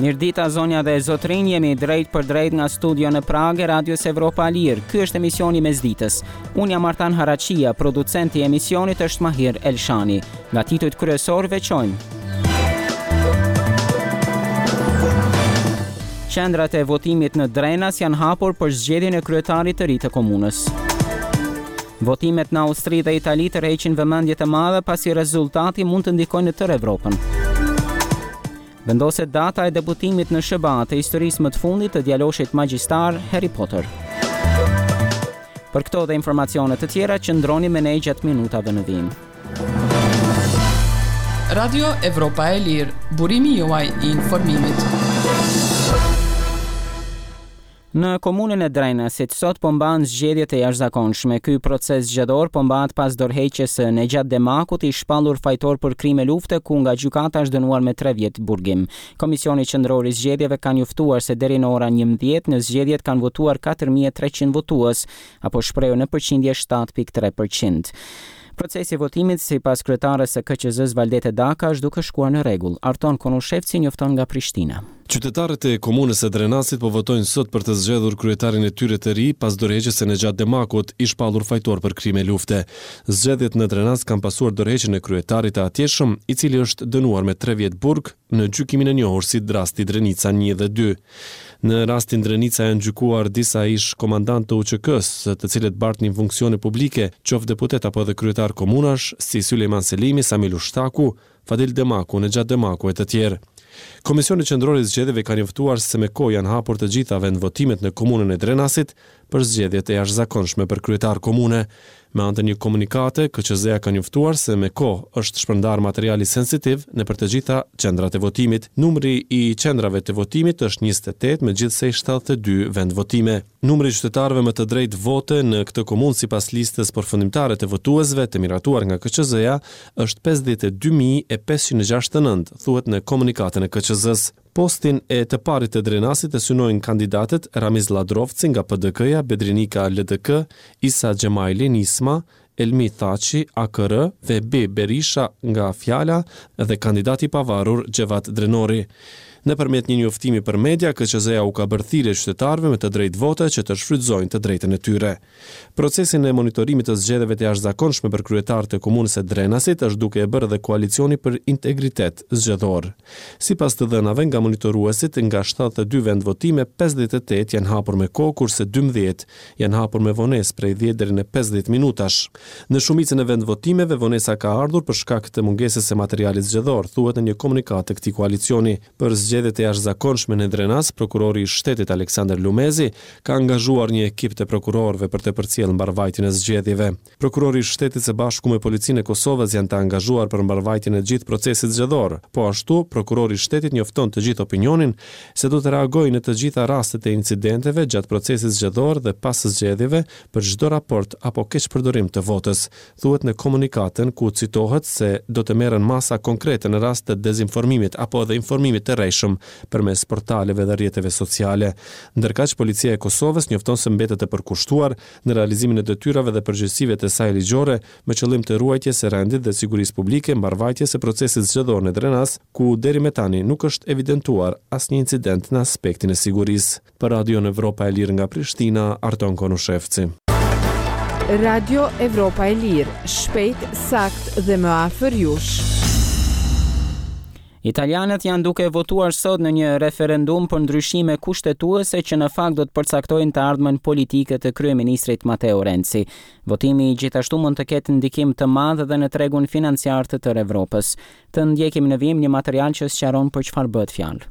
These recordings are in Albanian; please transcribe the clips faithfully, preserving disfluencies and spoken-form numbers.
Mirëdita zonja dhe zotrinj, jemi drejt për drejt nga studio në Pragë e Radios Evropa e Lirë. Ky është emisioni Mesditës. Unë jam Artan Haraqia, producenti i emisionit është Mahir Elshani. Nga titujt kryesor veçojmë. Qendrat e votimit në Drenas janë hapur për zgjedhjen e kryetarit të ri të komunës. Votimet në Austri dhe Itali tërheqin vëmendje të madhe pasi rezultati mund të ndikojë në tërë Evropën. Vendoset data e debutimit në S H B A të historisë më të fundit të djaloshit magjistar Harry Potter. Për këto dhe informacione të tjera qëndroni me ne gjatë minutave në vijim. Radio Evropa e Lirë, burimi juaj i informimit. Në komunën e Drenasit sot po mbahen zgjedhjet e jashtëzakonshme. Ky proces zgjedhor po mbahet pas dorëheqjes së Nexhat Demakut, i shpallur fajtor për krime lufte, ku nga gjykata është dënuar me tre vjet burgim. Komisioni Qendror i Zgjedhjeve ka njoftuar se deri në ora njëmbëdhjetë në zgjedhjet kanë votuar katër mijë e treqind votues, apo shprehur në përqindje shtatë pikë tre përqind. Procesi i votimit sipas kryetares së K Q Z-s Valdete Daka është duke shkuar në rregull. Arton Konushevci njofton nga Prishtina. Qytetarët e komunës së Drenasit po votojnë sot për të zgjedhur kryetarin e tyre të ri pas dorëheqjes së Nexhat Demakut, i shpallur fajtor për krime lufte. Zgjedhjet në Drenas kanë pasuar dorëheqjen e kryetarit të atjeshëm, i cili është dënuar me tre vjet burg në gjykimin e njohur si rasti Drenica një dhe dy. Në rastin Drenica janë gjykuar disa ish komandantë të U Ç K-së, të cilët bartnin funksione publike, qoftë deputet apo edhe kryetar komunash, si Sulejman Selimi, Sami Lushtaku, Fadil Demaku, Nexhat Demaku e të tjerë. Komisioni Qendror i Zgjedhjeve ka njoftuar se me kohë janë hapur të gjitha vendvotimet në komunën e Drenasit për zgjedhjet e jashtëzakonshme për kryetar komune. Me anë të një komunikate, K Q Z-ja ka njoftuar se me kohë është shpërndar materiali sensitiv në për të gjitha qendrat e votimit. Numri i qendrave të votimit është njëzet e tetë me gjithsej shtatëdhjetë e dy vendvotime. Numri i qytetarëve me të drejtë vote në këtë komunë sipas listës përfundimtare të votuesve të miratuar nga K Q Z-ja është pesëdhjetë e dy mijë e pesëqind e gjashtëdhjetë e nëntë, thuhet në komunikatën e K Q Z-s. Postin e të parit të Drenasit e synojnë kandidatët Ramiz Lladrovci nga P D K-ja, Bedrinika L D K, Isa Xhemajli Nisma, Elmi Thaçi A K R, V B Berisha nga Fjala dhe kandidati i pavarur Xhevat Drenori. Nëpërmjet një njoftimi për media, K Q Z-ja u ka bërë thirrje qytetarëve me të drejtë vote që të shfrytëzojnë të drejtën e tyre. Procesin e monitorimit të zgjedhjeve të jashtëzakonshme për kryetar të komunës së Drenasit është duke e bërë edhe Koalicioni për Integritet Zgjedhor. Sipas të dhënave nga monitoruesit, nga shtatëdhjetë e dy vendvotime, pesëdhjetë e tetë janë hapur me kohë, kurse dymbëdhjetë janë hapur me vonesë prej dhjetë deri në pesëdhjetë minutash. Në shumicën e vendvotimeve vonesa ka ardhur për shkak të mungesës së materialit zgjedhor, thuhet në një komunikatë të këtij koalicioni. Për zgjedhjet e jashtëzakonshme në Drenas, prokurori i shtetit Aleksandr Lumezi ka angazhuar një ekip të prokurorëve për të përcjellë mbarvajtjen e zgjedhjeve. Prokurori i shtetit së bashku me policinë e Kosovës janë të angazhuar për mbarvajtjen e gjithë procesit zgjedhor. Po ashtu, prokurori i shtetit njofton të gjithë opinionin se do të reagojë në të gjitha rastet e incidenteve gjatë procesit zgjedhor dhe pas zgjedhjeve për çdo raport apo keqpërdorim të votës, thuhet në komunikatën ku citohet se do të merren masa konkrete në rast të dezinformimit apo edhe informimit të rrejshëm përmes portaleve dhe rrjeteve sociale. Ndërkaq, Policia e Kosovës njofton se mbetet e përkushtuar në realizimin e detyrave dhe përgjegjësive të saj ligjore me qëllim të ruajtjes së rendit dhe sigurisë publike, mbarvajtjes së procesit zgjedhor në Drenas, ku deri më tani nuk është evidentuar asnjë incident në aspektin e sigurisë. Për Radion Evropa e Lirë nga Prishtina, Arton Konushevci. Radio Evropa e Lirë, shpejt, sakt dhe më afër jush. Italianët janë duke votuar sot në një referendum për ndryshime kushtetuese që në fakt do të përcaktojnë të ardhmen politike të kryeministrit Matteo Renzi. Votimi gjithashtu mund të ketë ndikim të madh edhe në tregun financiar të tërë Evropës. Të ndjekim në vijim një material që sqaron për çfarë bëhet fjalë.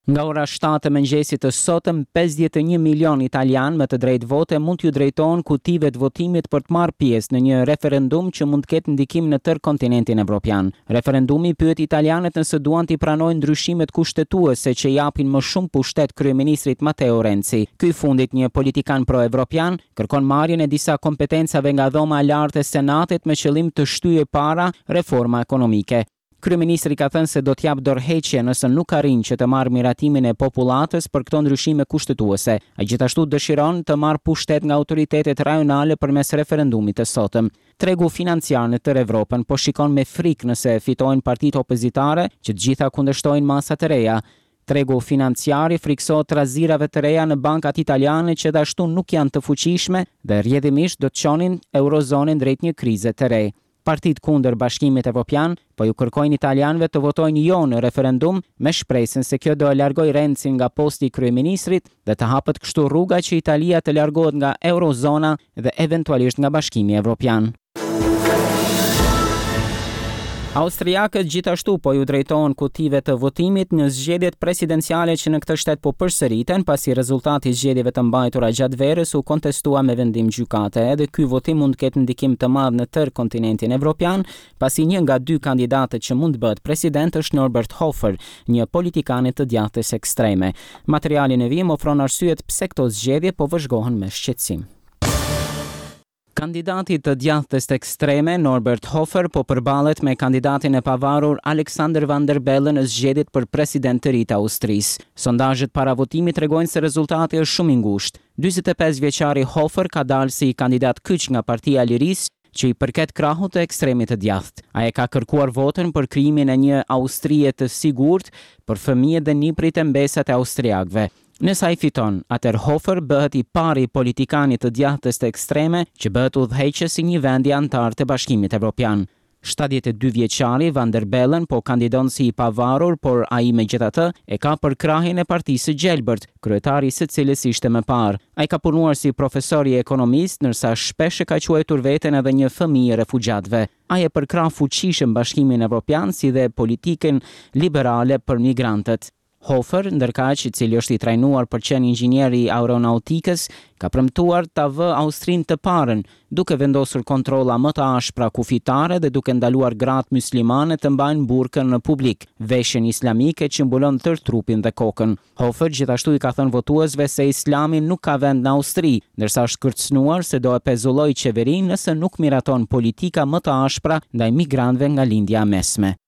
Nga ora shtatë e mëngjesit të sotëm, pesëdhjetë e një milion italian me të drejtë vote mund t'ju drejtohen kutive të votimit për të marrë pjesë në një referendum që mund të ketë ndikim në tërë kontinentin evropian. Referendumi pyet italianët nëse duan t'i pranojnë ndryshimet kushtetuese që japin më shumë pushtet kryeministrit Matteo Renzi. Ky i fundit, një politikan pro-evropian, kërkon marrjen e disa kompetencave nga dhoma e lartë e Senatit me qëllim të shtyjë para reforma ekonomike. Kryeministri ka thënë se do të japë dorëheqje nëse nuk arrin që të marrë miratimin e popullatës për këto ndryshime kushtetuese. Ai gjithashtu dëshiron të marrë pushtet nga autoritetet rajonale përmes referendumit të sotëm. Tregu financiar në tërë Evropën po shikon me frikë nëse fitojnë partitë opozitare që të gjitha kundërshtojnë masa të reja. Tregu financiar i frikësohet trazirave të reja në bankat italiane që gjithashtu nuk janë të fuqishme dhe rrjedhimisht do të çonin eurozonën drejt një krize të re. Partitë kundër Bashkimit Evropian po ju kërkojnë italianëve të votojnë jo në referendum me shpresën se kjo do e largojë Renzin nga posti i kryeministrit dhe të hapet kështu rruga që Italia të largohet nga eurozona dhe eventualisht nga Bashkimi Evropian. Austriakët gjithashtu po ju drejtohen kutive të votimit në zgjedhjet presidenciale që në këtë shtet po përsëriten, pasi rezultati i zgjedhjeve të mbajtura gjatë verës u kontestua me vendim gjykate. Edhe ky votim mund të ketë ndikim të madh në tërë kontinentin evropian, pasi një nga dy kandidatët që mund të bëhet president është Norbert Hofer, një politikan i të djathtës ekstreme. Materiali në vijim ofron arsyet pse këto zgjedhje po vëzhgohen me shqetësim. Kandidati të djathtës ekstreme Norbert Hofer po përballet me kandidatin e pavarur Alexander Van der Bellen në zgjedhjet për president të ri të Austrisë. Sondazhet para votimit tregojnë se rezultati është shumë i ngushtë. dyzet e pesë vjeçari Hofer ka dalë si kandidat kyç nga Partia e Lirisë, që i përket krahut të ekstremit të djathtë. Ai e ka kërkuar votën për krijimin e një Austrie të sigurt për fëmijët dhe nipërit e mbesat e austriakëve. Nëse ai fiton, atëherë Hofer bëhet i pari politikanit të djathtës të ekstreme që bëhet udhëheqës i një vendi anëtar të Bashkimit Evropian. shtatëdhjetë e dy vjeçari Van der Bellen po kandidon si i pavarur, por ai megjithatë e ka përkrahjen e Partisë së Gjelbërt, kryetari i së cilës ishte më parë. Ai ka punuar si profesor i ekonomisë, ndërsa shpesh e ka quajtur veten edhe një fëmijë refugjatëve. Ai e përkrah fuqishëm Bashkimin Evropian si dhe politikën liberale për migrantët. Hofer, ndërkaq, i cili është i trajnuar për qenë inxhinier i aeronautikës, ka premtuar ta vë Austrinë të parën, duke vendosur kontrolla më të ashpra kufitare dhe duke ndaluar gratë muslimane të mbajnë burkën në publik, veshjen islamike që mbulon tërë trupin dhe kokën. Hofer gjithashtu i ka thënë votuesve se Islami nuk ka vend në Austri, ndërsa është kërcënuar se do e pezullojë qeverinë nëse nuk miraton politika më të ashpra ndaj migrantëve nga Lindja e Mesme.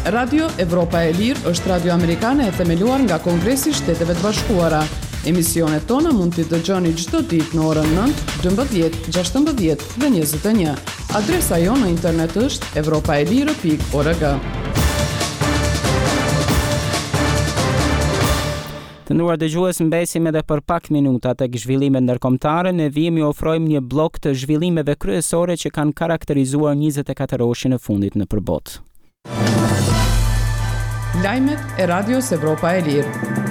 Radio Evropa e Lirë është radio amerikane e themeluar nga Kongresi i Shteteve të Bashkuara. Emisionet tona mund t'i dëgjoni çdo ditë në orën nëntë, dymbëdhjetë, gjashtëmbëdhjetë dhe njëzet e një. Adresa jonë në internet është evropaelire pikë org. Të nderuar dëgjues, mbesim edhe për pak minuta tek zhvillimet ndërkombëtare. Ne vijmë ju ofrojmë një blok të zhvillimeve kryesore që kanë karakterizuar njëzet e katër orëshin e fundit në përbot. Lajmet e Radios Evropa e Lirë.